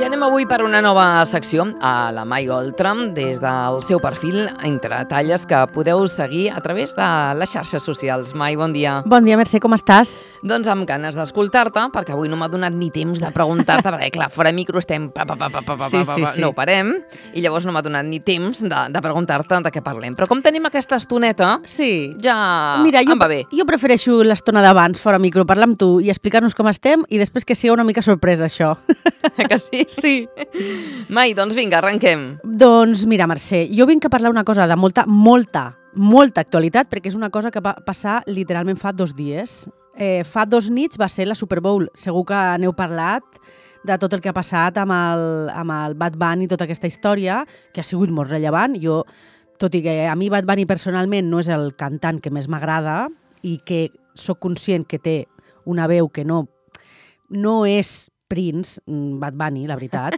anem avui per una nova secció a la Mai Oltram des del seu perfil Entre talles que podeu seguir a través de les xarxes socials. Mai, bon dia. Bon dia, Mercè, com estàs? Doncs amb ganes d'escoltar-te, perquè avui no m'ha donat ni temps de preguntar-te, perquè clar, fora micro estem Sí. no ho parem, i llavors no m'ha donat ni temps de preguntar-te de què parlem. Però com tenim aquesta estoneta, Sí. ja Mira, em va bé. Jo prefereixo l'estona d'abans, fora micro, parlar amb tu i explicar-nos com estem i després que sigui una mica sorpresa, això. Que sí? Sí. Mai, doncs vinga, arrenquem. Doncs mira, Mercè, jo vinc a parlar una cosa de molta actualitat, perquè és una cosa que va passar literalment fa 2 dies. Fa 2 nits va ser la Super Bowl. Segur que n'heu parlat de tot el que ha passat amb el Bad Bunny i tota aquesta història, que ha sigut molt rellevant. Jo, tot i que a mi Bad Bunny personalment no és el cantant que més m'agrada i que sóc conscient que té una veu que no és Prince, Bad Bunny, la veritat,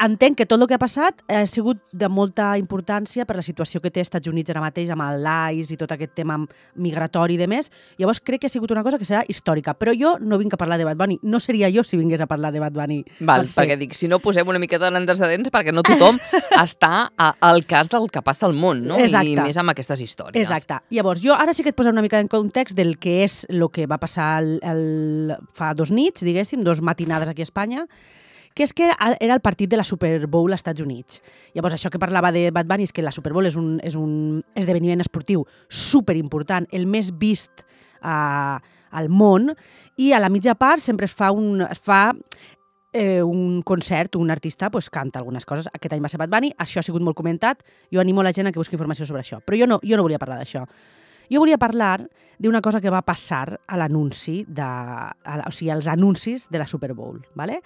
entenc que tot el que ha passat ha sigut de molta importància per la situació que té als Estats Units ara mateix amb l'ICE i tot aquest tema migratori i demés. Llavors crec que ha sigut una cosa que serà històrica. Però jo no vinc a parlar de Bad Bunny. No seria jo si vingués a parlar de Bad Bunny. Val, perquè dic, si no posem una miqueta d'antecedents, perquè no tothom està al cas del que passa al món, no? Exacte. I més amb aquestes històries. Exacte. Llavors, jo ara sí que et poso una mica en context del que és el que va passar fa 2 nits, diguéssim, 2 matinades aquí a Espanya, que és que era el partit de la Super Bowl als Estats Units. Llavors, això que parlava de Bad Bunny és que la Super Bowl és un esdeveniment esportiu superimportant, el més vist al món, i a la mitja part sempre es fa un concert, un artista canta algunes coses. Aquest any va ser Bad Bunny, això ha sigut molt comentat, jo animo la gent a que busqui informació sobre això, però jo no volia parlar d'això. Jo volia parlar d'una cosa que va passar a l'anunci, als anuncis de la Super Bowl. ¿Vale?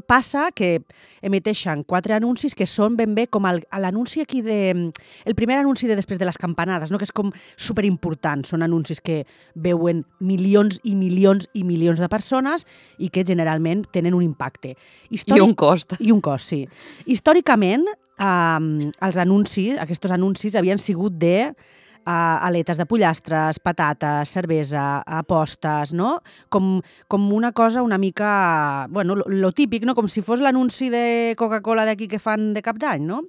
Passa que emeteixen 4 anuncis que són ben bé com l'anunci aquí el primer anunci de després de les campanades, no? Que és com superimportant. Són anuncis que veuen milions i milions i milions de persones i que generalment tenen un impacte. I un cost. I un cost, sí. Històricament, aquests anuncis havien sigut de aletes de pollastres, patates, cervesa, apostes, no? Com una cosa una mica, bueno, lo típic, no? Com si fos l'anunci de Coca-Cola d'aquí que fan de cap d'any, no?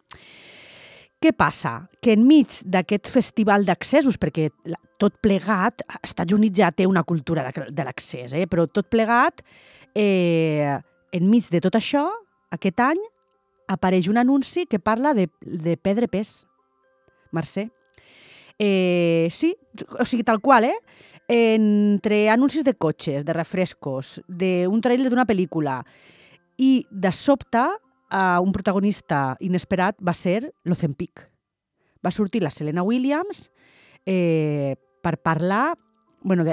Què passa? Que enmig d'aquest festival d'accessos, perquè tot plegat, als Estats Units ja té una cultura de l'accés, però tot plegat, enmig de tot això, aquest any, apareix un anunci que parla de perdre pes. Mercè. Sí, o sigui, tal qual, entre anuncis de cotxes, de refrescos, d'un trailer d'una pel·lícula i de sobte un protagonista inesperat va ser l'Ozempic. Va sortir la Serena Williams per parlar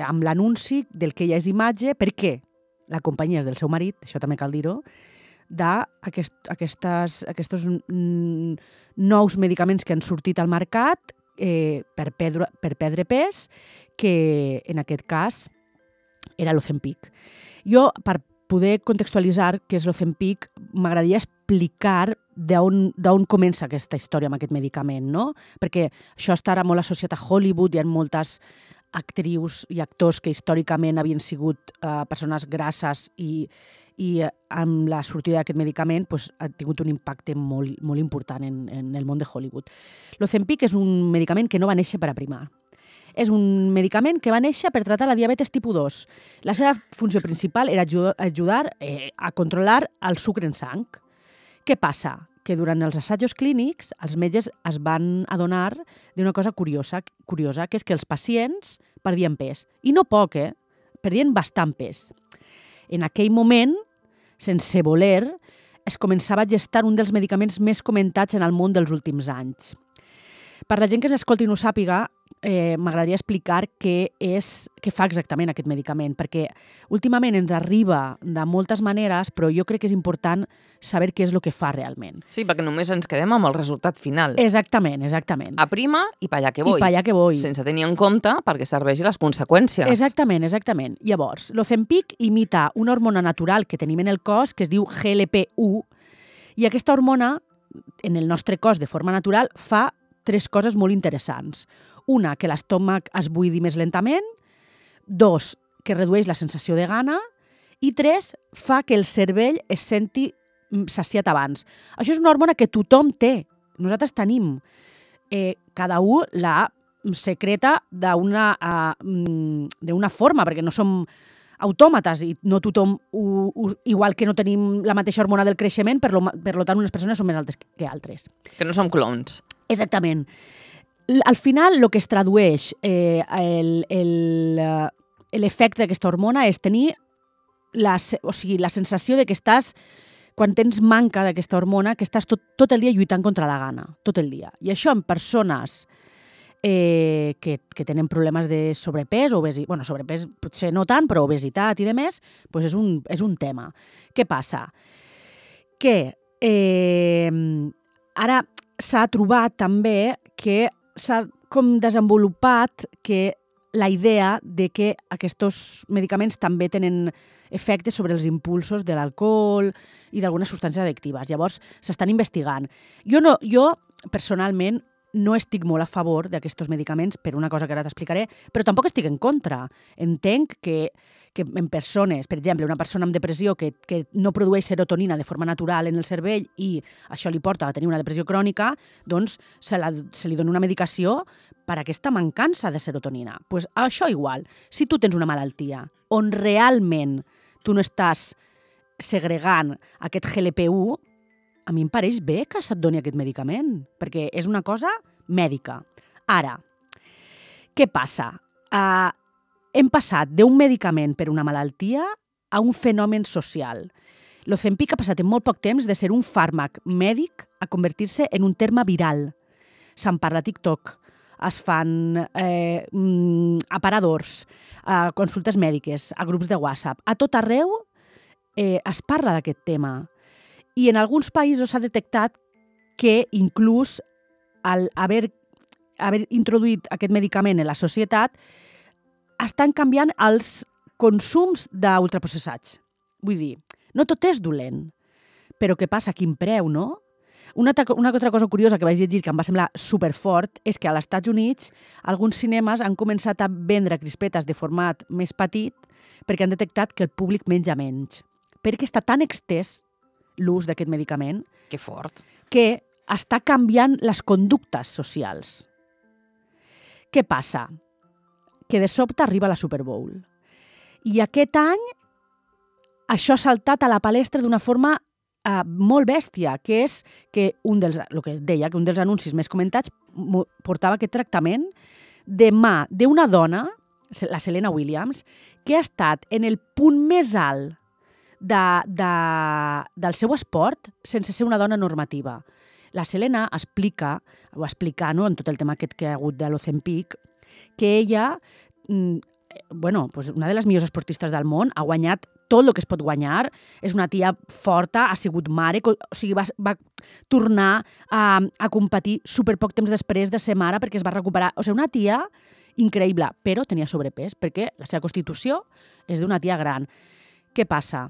amb l'anunci del que ja és imatge, perquè la companyia és del seu marit, això també cal dir-ho, d'aquests nous medicaments que han sortit al mercat per perdre pes, que en aquest cas era l'Ozempic. Jo, per poder contextualitzar què és l'Ozempic, m'agradaria explicar d'on comença aquesta història amb aquest medicament, no? Perquè això està ara molt associat a Hollywood, hi ha moltes actrius i actors que històricament havien sigut persones grasses i amb la sortida d'aquest medicament ha tingut un impacte molt, molt important en el món de Hollywood. L'Ozempic és un medicament que no va néixer per aprimar. És un medicament que va néixer per tratar la diabetes tipus 2. La seva funció principal era ajudar a controlar el sucre en sang. Què passa? Que durant els assajos clínics els metges es van adonar d'una cosa curiosa, que és que els pacients perdien pes. I no poc, perdien bastant pes. En aquell moment, sense voler, es començava a gestar un dels medicaments més comentats en el món dels últims anys. Per la gent que s'escolti i no ho sàpiga, m'agradaria explicar què fa exactament aquest medicament, perquè últimament ens arriba de moltes maneres, però jo crec que és important saber què és el que fa realment. Sí, perquè només ens quedem amb el resultat final. Exactament. Aprima i pa allà que voy. I pa allà que voy. Sense tenir en compte perquè serveixi les conseqüències. Exactament. Llavors, l'Ozempic imita una hormona natural que tenim en el cos que es diu GLP-1 i aquesta hormona, en el nostre cos de forma natural, fa 3 coses molt interessants. Una, que l'estómac es buidi més lentament. 2, que redueix la sensació de gana. I 3, fa que el cervell es senti saciat abans. Això és una hormona que tothom té. Nosaltres tenim. Cada un la secreta d'una forma, perquè no som autòmates i no tothom, igual que no tenim la mateixa hormona del creixement, per tant unes persones són més altes que altres. Que no som clones. Exactament. Al final, el que es tradueix l'efecte d'aquesta hormona és tenir la sensació de que estàs, quan tens manca d'aquesta hormona, que estàs tot el dia lluitant contra la gana, tot el dia. I això en persones que tenen problemes de sobrepès, sobrepès potser no tant, però obesitat i demés, doncs és un tema. Què passa? Que ara s'ha trobat també que s'ha com desenvolupat que la idea de que aquests medicaments també tenen efectes sobre els impulsos de l'alcohol i d'algunes substàncies addictives. Llavors, s'estan investigant. Jo personalment, no estic molt a favor d'aquests medicaments per una cosa que ara t'explicaré, però tampoc estic en contra. Entenc que en persones, per exemple, una persona amb depressió que no produeix serotonina de forma natural en el cervell i això li porta a tenir una depressió crònica, doncs se li dona una medicació per aquesta mancança de serotonina. Doncs això igual. Si tu tens una malaltia on realment tu no estàs segregant aquest GLP-1, a mi em pareix bé que se't doni aquest medicament, perquè és una cosa mèdica. Ara, què passa? Hem passat d'un medicament per una malaltia a un fenomen social. L'Ozempic ha passat en molt poc temps de ser un fàrmac mèdic a convertir-se en un terme viral. Se'n parla a TikTok, es fan aparadors, consultes mèdiques, a grups de WhatsApp. A tot arreu es parla d'aquest tema. I en alguns països s'ha detectat que inclús al haver introduït aquest medicament en la societat estan canviant els consums d'ultraprocessats. Vull dir, no tot és dolent, però què passa? Quin preu, no? Una altra cosa curiosa que vaig llegir que em va semblar superfort és que als Estats Units alguns cinemes han començat a vendre crispetes de format més petit perquè han detectat que el públic menja menys. Perquè està tan extès l'ús d'aquest medicament Que fort. que està canviant les conductes socials. Què passa? Que de sobte arriba la Super Bowl. I aquest any això ha saltat a la palestra d'una forma molt bèstia, que és que el que deia, que un dels anuncis més comentats portava aquest tractament de mà d'una dona, la Serena Williams, que ha estat en el punt més alt del seu esport sense ser una dona normativa. La Serena explica, en tot el tema aquest que ha hagut de l'Ozempic, que ella, una de les millors esportistes del món, ha guanyat tot el que es pot guanyar, és una tia forta, ha sigut mare, o sigui, va tornar a competir superpoc temps després de ser mare perquè es va recuperar. O sigui, una tia increïble, però tenia sobrepès perquè la seva constitució és d'una tia gran. Què passa?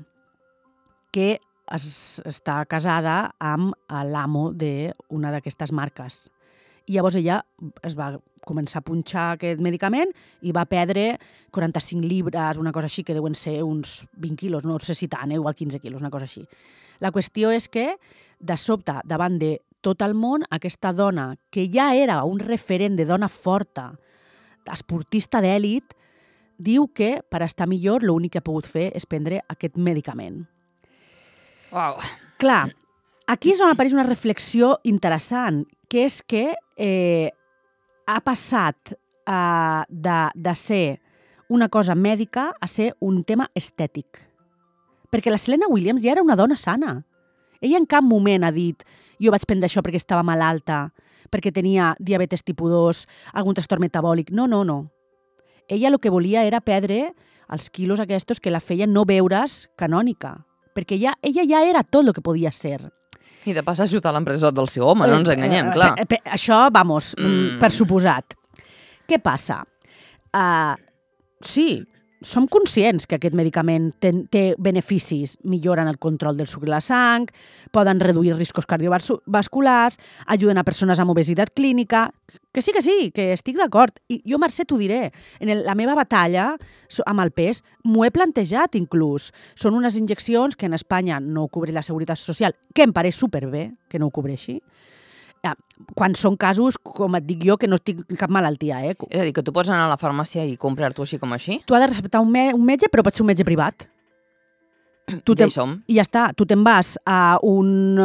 Que està casada amb l'amo d'una d'aquestes marques. I llavors ella es va començar a punxar aquest medicament i va perdre 45 llibres, una cosa així, que deuen ser uns 20 quilos, no sé si tant, igual 15 quilos, una cosa així. La qüestió és que, de sobte, davant de tot el món, aquesta dona, que ja era un referent de dona forta, esportista d'èlit, diu que per estar millor l'únic que ha pogut fer és prendre aquest medicament. Uau. Clar, aquí és on apareix una reflexió interessant, que és que ha passat de ser una cosa mèdica a ser un tema estètic. Perquè la Serena Williams ja era una dona sana. Ella en cap moment ha dit jo vaig prendre això perquè estava malalta, perquè tenia diabetes tipus 2, algun trastorn metabòlic. No. Ella el que volia era perdre els quilos aquests que la feien no veure's canònica, perquè ella ja era tot el que podia ser. I de pas ajudar l'empresa del seu home, no ens enganyem, clar. Això, per suposat. Què passa? Sí, som conscients que aquest medicament té beneficis, milloren el control del sucre a la sang, poden reduir riscos cardiovasculars, ajuden a persones amb obesitat clínica, que sí, que estic d'acord. I jo, Mercè, t'ho diré, en la meva batalla amb el pes m'ho he plantejat inclús. Són unes injeccions que en Espanya no ho cobreix la Seguretat Social, que em pareix superbé que no ho cobreixi, quan són casos, com et dic jo, que no tinc cap malaltia. És a dir, que tu pots anar a la farmàcia i comprar-t'ho així com així? Tu has de receptar un metge, però pot ser un metge privat. Ja hi som. I ja està. Tu te'n vas a un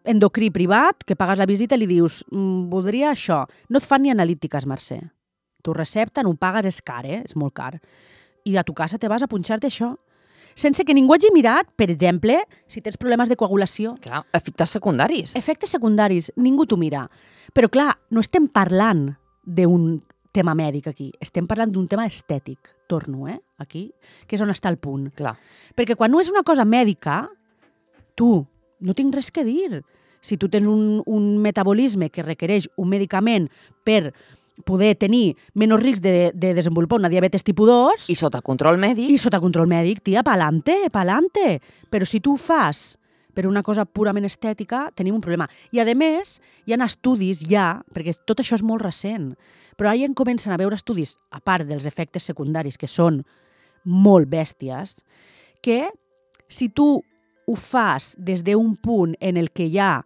endocrí privat, que pagues la visita i li dius voldria això. No et fan ni analítiques, Mercè. T'ho recepten, ho pagues, és car, és molt car. I a tu casa te vas a punxar-te això. Sense que ningú hagi mirat, per exemple, si tens problemes de coagulació. Clar, efectes secundaris. Efectes secundaris, ningú t'ho mira. Però clar, no estem parlant d'un tema mèdic aquí, estem parlant d'un tema estètic. Torno, aquí, que és on està el punt. Clar. Perquè quan no és una cosa mèdica, tu, no tinc res que dir. Si tu tens un metabolisme que requereix un medicament per poder tenir menys risc de desenvolupar una diabetes tipus 2... I sota control mèdic. I sota control mèdic, tia, pa'lante. Però si tu ho fas per una cosa purament estètica, tenim un problema. I, a més, hi ha estudis perquè tot això és molt recent, però ara ja comencen a veure estudis, a part dels efectes secundaris, que són molt bèsties, que si tu ho fas des d'un punt en el que hi ha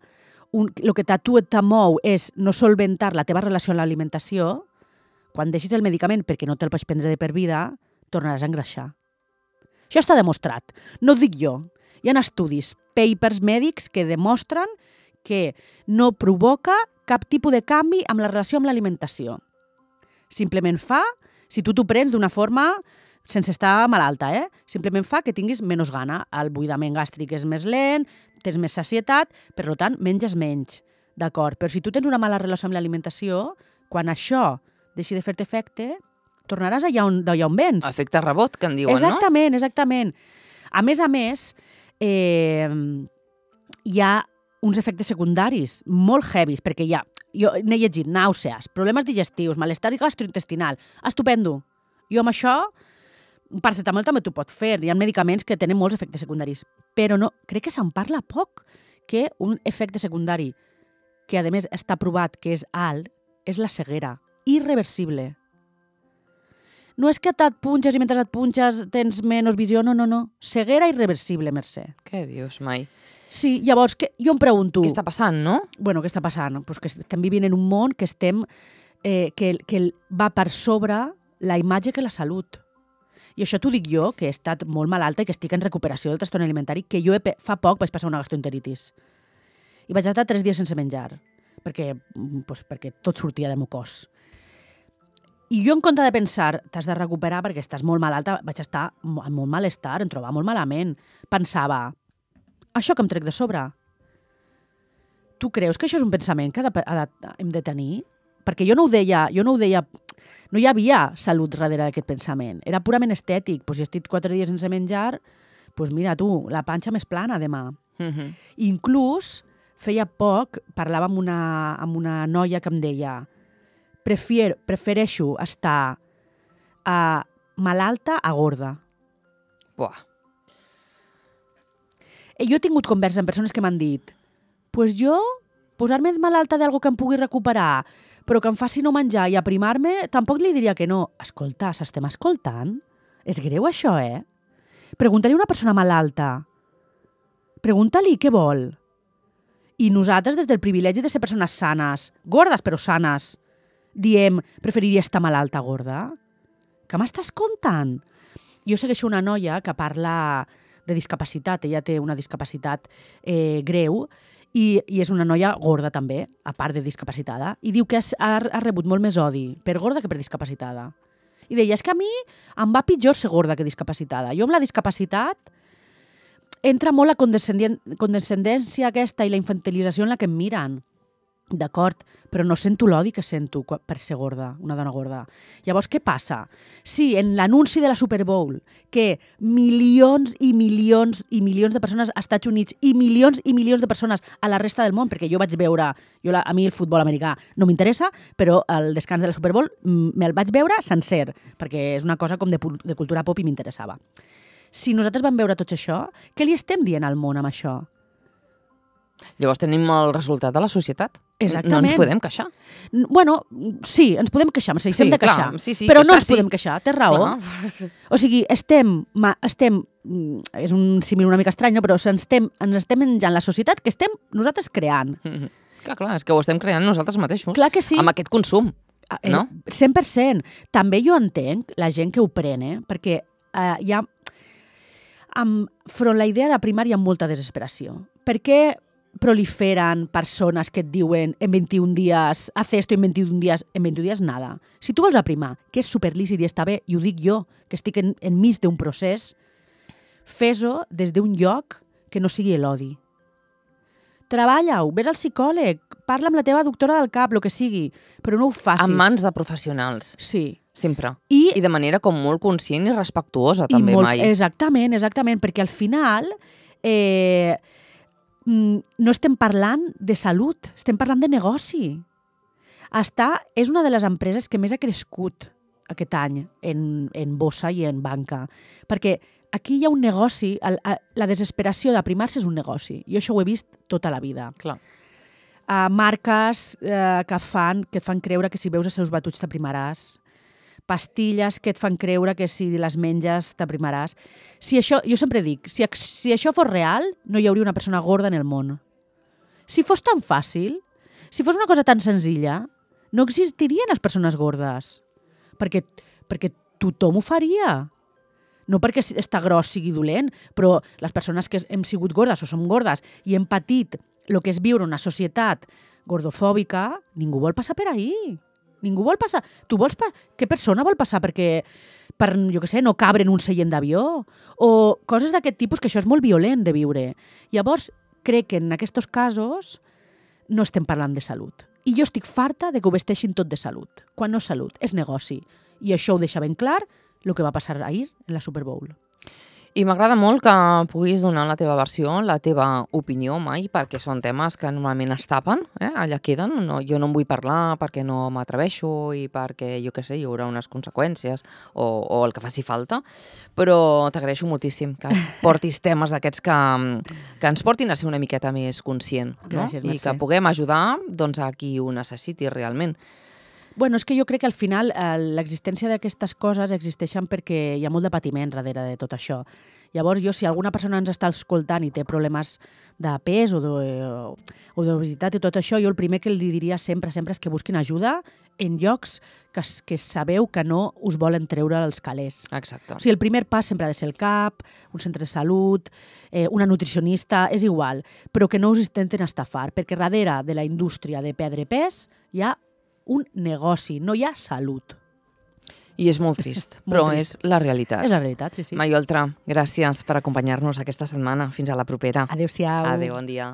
el que a tu t'amou és no solventar la teva relació amb l'alimentació, quan deixis el medicament perquè no te'l pots prendre de per vida, tornaràs a engreixar. Això està demostrat. No ho dic jo. Hi ha estudis, papers mèdics que demostren que no provoca cap tipus de canvi amb la relació amb l'alimentació. Simplement fa, si tu t'ho prens d'una forma sense estar malalta, simplement fa que tinguis menys gana. El buidament gàstric és més lent, tens més sacietat, per tant, menges menys. D'acord, però si tu tens una mala relació amb l'alimentació, quan això deixi de fer-te efecte, tornaràs allà on vens. Efecte rebot, que en diuen, exactament, no? Exactament. A més, hi ha uns efectes secundaris molt heavies, perquè jo n'he llegit nàusees, problemes digestius, malestar gastrointestinal, estupendo. Jo amb això, un paracetamol també t'ho pot fer, hi ha medicaments que tenen molts efectes secundaris, però no, crec que se'n parla poc, que un efecte secundari que a més està provat que és alt, és la ceguera, irreversible. No és que et punxes i mentre et punxes tens menys visió, no. Ceguera irreversible, Mercè. Què dius, mai? Sí, llavors, jo em pregunto... Què està passant, no? Bueno, què està passant? Pues que estem vivint en un món que que va per sobre la imatge que la salut. I això t'ho dic jo, que he estat molt malalta i que estic en recuperació del trastorn alimentari, que jo fa poc vaig passar una gastroenteritis. I vaig estar 3 dies sense menjar, perquè tot sortia del meu cos. I jo, en compte de pensar, t'has de recuperar perquè estàs molt malalta, vaig estar amb molt malestar, em trobava molt malament. Pensava, això que em trec de sobre, tu creus que això és un pensament que hem de tenir? Perquè jo no ho deia, no hi havia salut darrere d'aquest pensament. Era purament estètic. Si estic 4 dies sense menjar, mira tu, la panxa més plana demà. Inclús, feia poc, parlava amb una noia que em deia prefereixo estar malalta a gorda. Buah. Jo he tingut converses amb persones que m'han dit jo, posar-me malalta d'algo que em pugui recuperar, però que em faci no menjar i aprimar-me, tampoc li diria que no. Escolta, s'estem escoltant? És greu això, Pregunta-li a una persona malalta. Pregunta-li què vol. I nosaltres, des del privilegi de ser persones sanes, gordes però sanes, diem, preferiria estar malalta gorda? Que m'estàs contant? Jo segueixo una noia que parla de discapacitat. Ella té una discapacitat greu, i és una noia gorda també, a part de discapacitada, i diu que ha rebut molt més odi per gorda que per discapacitada. I deia, és que a mi em va pitjor ser gorda que discapacitada. Jo amb la discapacitat entra molt la condescendència aquesta i la infantilització en la que em miren. D'acord, però no sento l'odi que sento per ser gorda, una dona gorda. Llavors, què passa? Si en l'anunci de la Super Bowl, que milions i milions i milions de persones als Estats Units i milions de persones a la resta del món, perquè jo vaig veure, a mi el futbol americà no m'interessa, però el descans de la Super Bowl me'l vaig veure sencer, perquè és una cosa com de cultura pop i m'interessava. Si nosaltres vam veure tot això, què li estem dient al món amb això? Llavors tenim el resultat de la societat. Exactament. No ens podem queixar. Bueno, sí, ens podem queixar, ens deixem de queixar. Clar, sí, però no ens sí. podem queixar, té raó. Clar. O sigui, és un símil una mica estrany, no? Però ens estem menjant la societat que estem nosaltres creant. Clar, és que ho estem creant nosaltres mateixos. Clar que sí. Amb aquest consum, no? 100%. També jo entenc la gent que ho pren, perquè hi ha... Front la idea de primar hi ha molta desesperació. Per què proliferen persones que et diuen en 21 dies, haz esto en 21 dies, en 21 dies nada. Si tu vols aprimar, que és superlícit i està bé, i ho dic jo, que estic enmig d'un procés, fes-ho des d'un lloc que no sigui l'odi. Treballa-ho, vés al psicòleg, parla amb la teva doctora del cap, el que sigui, però no ho facis. En mans de professionals. Sí. Sempre. I de manera com molt conscient i respectuosa, també, mai. Exactament, perquè al final no estem parlant de salut, estem parlant de negoci. És una de les empreses que més ha crescut aquest any en bossa i en banca, perquè aquí hi ha un negoci, la desesperació d'aprimar-se és un negoci. Jo això ho he vist tota la vida. Clar. Marques que et fan creure que si veus els seus batuts t'aprimaràs, pastilles que et fan creure que si les menges t'aprimaràs. Jo sempre dic, si això fos real, no hi hauria una persona gorda en el món. Si fos tan fàcil, si fos una cosa tan senzilla, no existirien les persones gordes. Perquè tothom ho faria. No perquè estar gros sigui dolent, però les persones que hem sigut gordes o som gordes i hem patit el que és viure una societat gordofòbica, ningú vol passar per ahí. Ningú vol passar. Què persona vol passar per, jo què sé, no cabre en un seient d'avió? O coses d'aquest tipus, que això és molt violent de viure. Llavors, crec que en aquests casos no estem parlant de salut. I jo estic farta de que ho vesteixin tot de salut. Quan no és salut, és negoci. I això ho deixa ben clar el que va passar ahir en la Super Bowl. I m'agrada molt que puguis donar la teva versió, la teva opinió, mai, perquè són temes que normalment es tapen, allà queden. No, jo no en vull parlar perquè no m'atreveixo i perquè, jo què sé, hi haurà unes conseqüències o el que faci falta, però t'agraeixo moltíssim que portis temes d'aquests que ens portin a ser una miqueta més conscient. Gràcies, no? I que puguem ajudar a qui ho necessiti realment. Bueno, és que jo crec que al final l'existència d'aquestes coses existeixen perquè hi ha molt de patiment darrere de tot això. Llavors, si alguna persona ens està escoltant i té problemes de pes o d'obesitat i tot això, jo el primer que li diria sempre és que busquin ajuda en llocs que sabeu que no us volen treure els calés. Exacte. O sigui, el primer pas sempre ha de ser el CAP, un centre de salut, una nutricionista, és igual, però que no us intenten estafar, perquè darrere de la indústria de perdre pes hi ha un negoci, no hi ha salut. I és molt trist, però és la realitat. És la realitat, sí. Mai Oltra, gràcies per acompanyar-nos aquesta setmana. Fins a la propera. Adéu-siau. Adéu, bon dia.